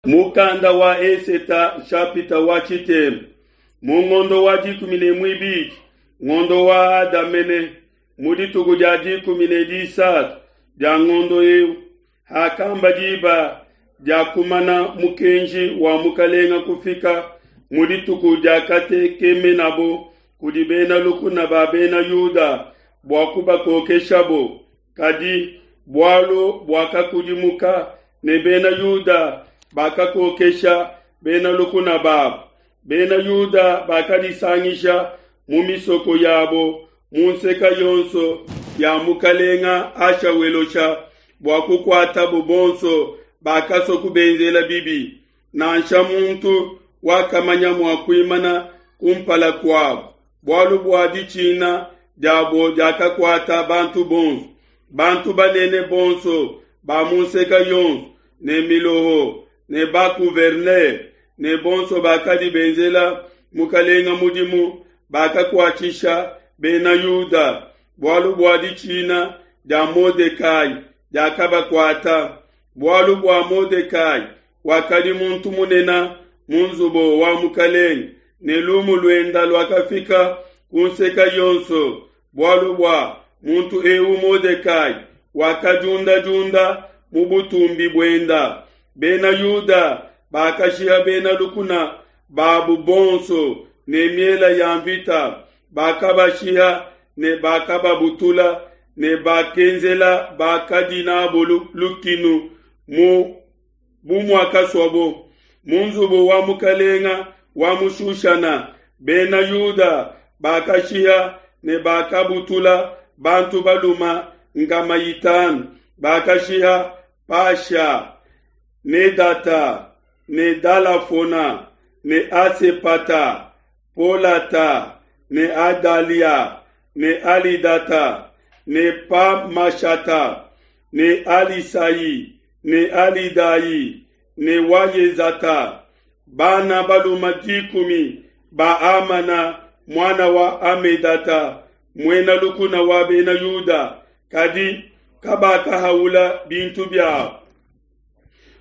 Mukanda wa Eseta nshapita wa tshitema. Mu ngondo wa 12, ngondo wa Ada mene, mu dituku dia 13 dia ngondo eu, hakamba diba dia kumana mukenji wa mukalenga kufika, mu dituku diakatekemenabo kudi bena lukuna ba bena Yuda bua kubakokeshabo, kadi bualu buakakudimuka ne bena Yuda bakakokesha bena lukuna babo. Bena Yuda bakadisangisha mu misoko yabo mu nseka yonso ya mukalenga Ashawelosha bua kukuatabo bonso bakasua kubenzela bibi. Nansha muntu wakamanya mua kuimana kumpala kuabo, bualu bua ditshina diabo diakakuata bantu bonso. Bantu banene bonso ba mu nseka yonso ne miloho ne ba-gouverneur ne bonso bakadi benzela mukalenga mudimu bakakuatshisha bena Yuda, bualu bua ditshina dia Modekai diakabakuata. Bualu bua Modekai wakadi muntu munene mu nzubu wa mukalenge, ne lumu luenda luakafika ku nseka yonso, bualu bua muntu eu Modekai wakadiundadiunda mu butumbi buenda. Bena Yuda bakashiha bena lukuna babu bonso ne miela ya mvita, bakabashiha ne bakababutula ne bakenzela bakadi nabo lukinu mu bu muakasuabo. Mu nzubu wa mukalenga wa mu Shushana, bena Yuda bakashiha ne bakabutula bantu baluma 500, bakashiha Pasha ne Data ne Dalafona ne Asepata, Polata ne Adalia ne Alidata ne Pamashata ne Alisai ne Alidai ne Wayezata, bana baluma 10 ba Amana muana wa Amedata, muena lukuna wa bena Yuda, kadi kabakahaula bintu biabo.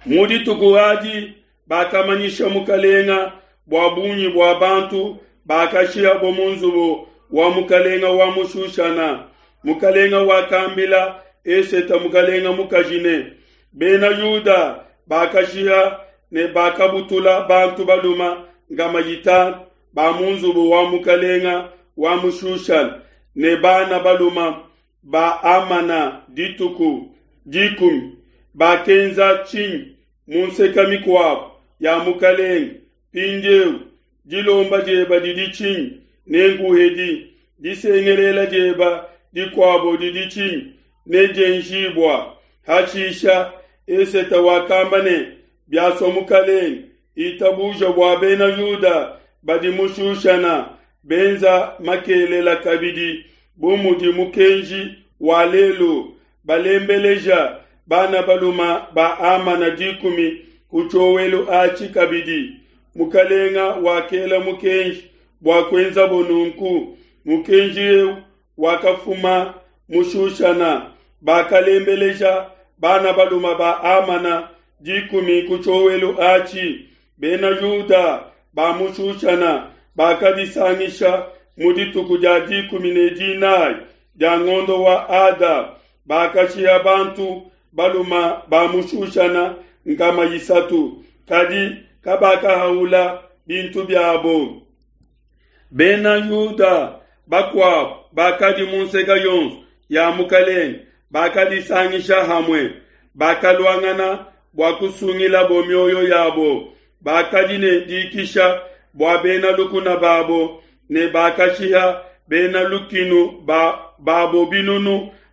Mu dituku adi bakamanyisha mukalenga bua bungi bua bantu bakashihabo mu nzubu wa mukalenga wa mu Shushana. Mukalenga wakambila Eseta mukalenga mukaji ne, Bena Yuda bakashiha ne bakabutula bantu baluma 500 ba mu nzubu wa mukalenga wa mu Shushana ne bana baluma ba Amana dituku 10. Bakenza tshinyi mu nseka mikuabo ya mukalenge? Mpindieu dilomba dieba didi tshinyi? Nenkuhedi. Disengelela dieba dikuabo didi tshinyi? Nedienjibua. Hashisha Eseta wakamba ne, Biasua mukalenge, itabuja bua bena Yuda badi mu Shushana benza makelela kabidi bu mudi mukenji wa lelu, balembeleja bana baluma ba Amana 10 ku tshiowelu atshi kabidi. Mukalenga wakela mukenji bua kuenzabo nunku. Mukenji eu wakafuma mu Shushana, bakalembeleja bana baluma ba Amana 10 ku tshiowelu atshi. Bena Yuda ba mu Shushana bakadisangisha mu dituku dia 14 dia ngondo wa Ada, bakashiha bantu baluma ba mu Shushana 300, kadi kabakahaula bintu biabo. Bena Yuda bakuabo bakadi mu nseka yonso ya mukalenge bakadisangisha hamue, bakaluangana bua kusungilabo mioyo yabo. Bakadi ne dikisha bua bena lukuna babo ne bakashiha bena lukinu babo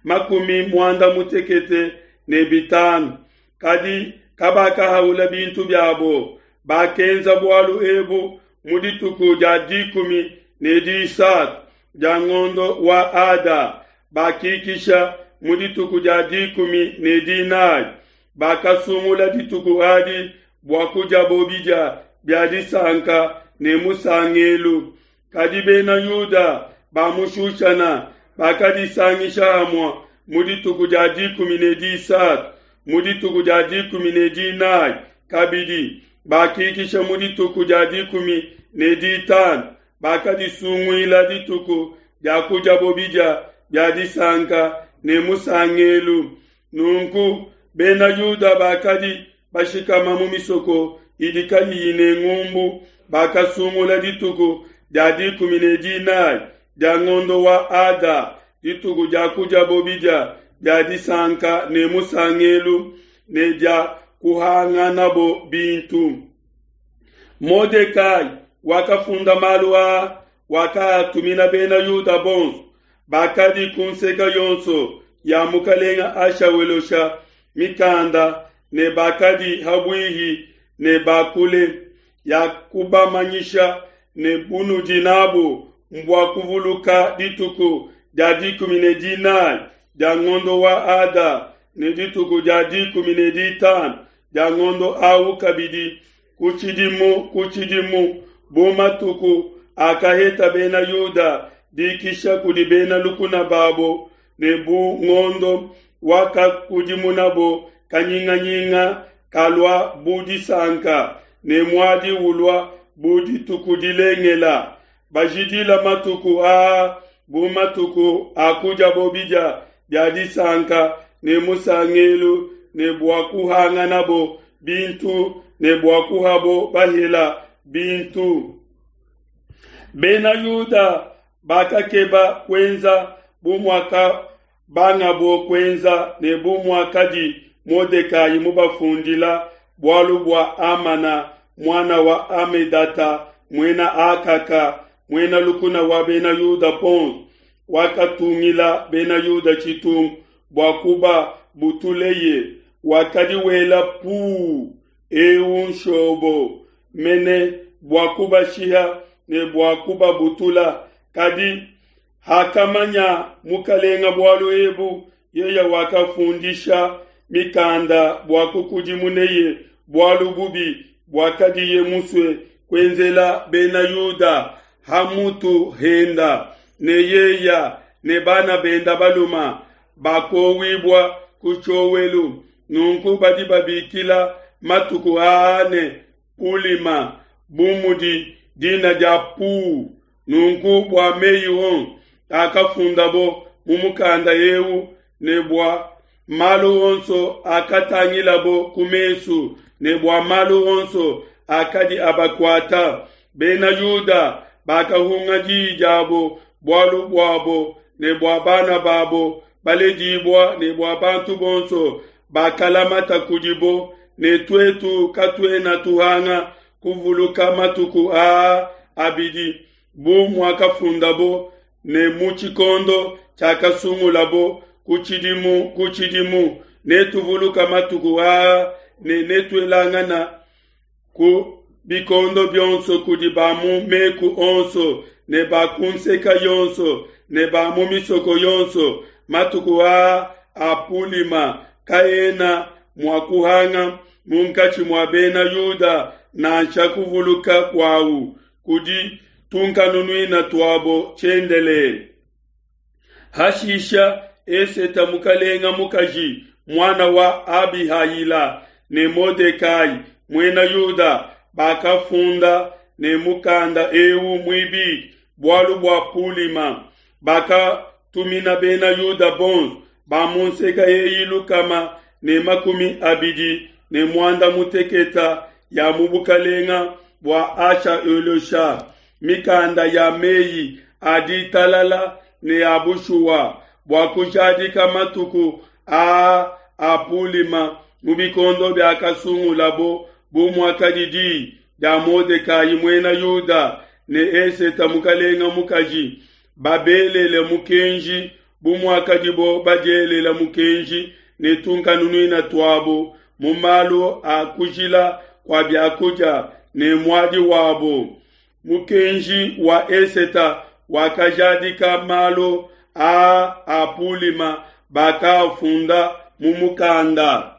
9500, kadi kabakahaula bintu biabo. Bakenza bualu ebu mu dituku dia 13 dia ngondo wa Ada, bakikisha mu dituku dia 14. Bakasungula dituku adi bua kudiabo bidia bia disanka ne musangelu. Kadi bena Yuda ba mu Shushana bakadisangisha hamue mu dituku dia 13, mu dituku dia 14. Kabidi bakikisha mu dituku dia 15, bakadisunguila dituku dia kudiabo bidia bia disanka ne musangelu. Nunku Bena Yuda bakadi bashikama mu misoko idi kayiyi ne ngumbu bakasungula dituku dia 14 dia ngondo wa Ada, dituku dia kudiabo bidia bia disanka ne musangelu ne dia kuhanganabo bintu. Modekai wakafunda malu aa, wakaatumina Bena Yuda bonso bakadi ku nseke yonso ya mukalenga Ashawelosha mikanda ne bakadi habuihi ne bakule, ya kubamanyisha ne bunudi nabu mbua kuvuluka dituku dia 14 dia ngondo wa Ada ne dituku dia 15 dia ngondo au kabidi ku tshidimu ku tshidimu, bu matuku akaheta Bena Yuda dikisha kudi bena lukuna babo, ne bu ngondo wakakudimunabo kanyinganyinga kalua bu disanka, ne muadi ulua bu dituku dilengela. Bajidila matuku aa bu matuku a kudiabo bidia bia disanka ne musangelu, ne bua kuhanganabo bintu ne bua kuhabo bahela bintu. Bena Yuda bakakeba kuenza bu muakabangabo kuenza ne bu muakadi Modekai mubafundila bualu bua Hamana muana wa Hamedata muena Akaka, muena lukuna wa Bena Yuda bonso, wakatungila Bena Yuda tshitungu bua kubabutuleye, wakadi wela puu eu nshobo mene bua kubashiha ne bua kubabutula. Kadi hakamanya mukalenga bualu ebu, yeye wakafundisha mikanda bua kukudimuneye bualu bubi buakadiye musue kuenzela Bena Yuda ha mutu henda, ne yeya ne bana benda baluma bakowibua ku tshiowelu. Nunku badi babikila matuku aa ne Pulima, bu mudi dina dia Pu. Nunku bua meyi onso akafundabo mu mukanda eu ne bua malu onso akatangilabo ku mesu ne bua malu onso akadi abakuata, Bena Yuda bakahunga diyi diabo bualu buabo ne bua bana babo baledibua ne bua bantu bonso bakalamata kudibo, ne tuetu katuena tuhanga kuvuluka matuku aa abidi bu muakafundabo ne mu tshikondo tshiakasungulabo ku tshidimu ku tshidimu, netuvuluka matuku aa ne netuelangana ku bikondo bionso kudi ba mu meku onso ne ba ku nseka yonso ne ba mu misoko yonso. Matuku aa a Pulima kaena mua kuhanga munkatshi mua Bena Yuda, nansha kuvuluka kuawu kudi tunkanunuina tuabo tshiendelele. Hashisha Eseta mukalenga mukaji muana wa Abihayila ne Modekai muena Yuda bakafunda ne mukanda eu muibidi bualu bua Pulima, bakatumina Bena Yuda bonso ba mu nseka eyi 226 ya mu bukalenga bua Asha-Elusha mikanda ya meyi a ditalala ne a bushuwa bua kujadika matuku aa a Pulima mu bikondo biakasungulabo bu muakadi diyi dia Modekai muena Yuda ne Eseta mukalenga mukaji babelele mukenji bu muakadibo badielela mukenji ne tunkanunuina tuabo mu malu a kujila kua biakudia ne muadi wabo. Mukenji wa Eseta wakajadika malu aa a Pulima, bakaafunda mu mukanda.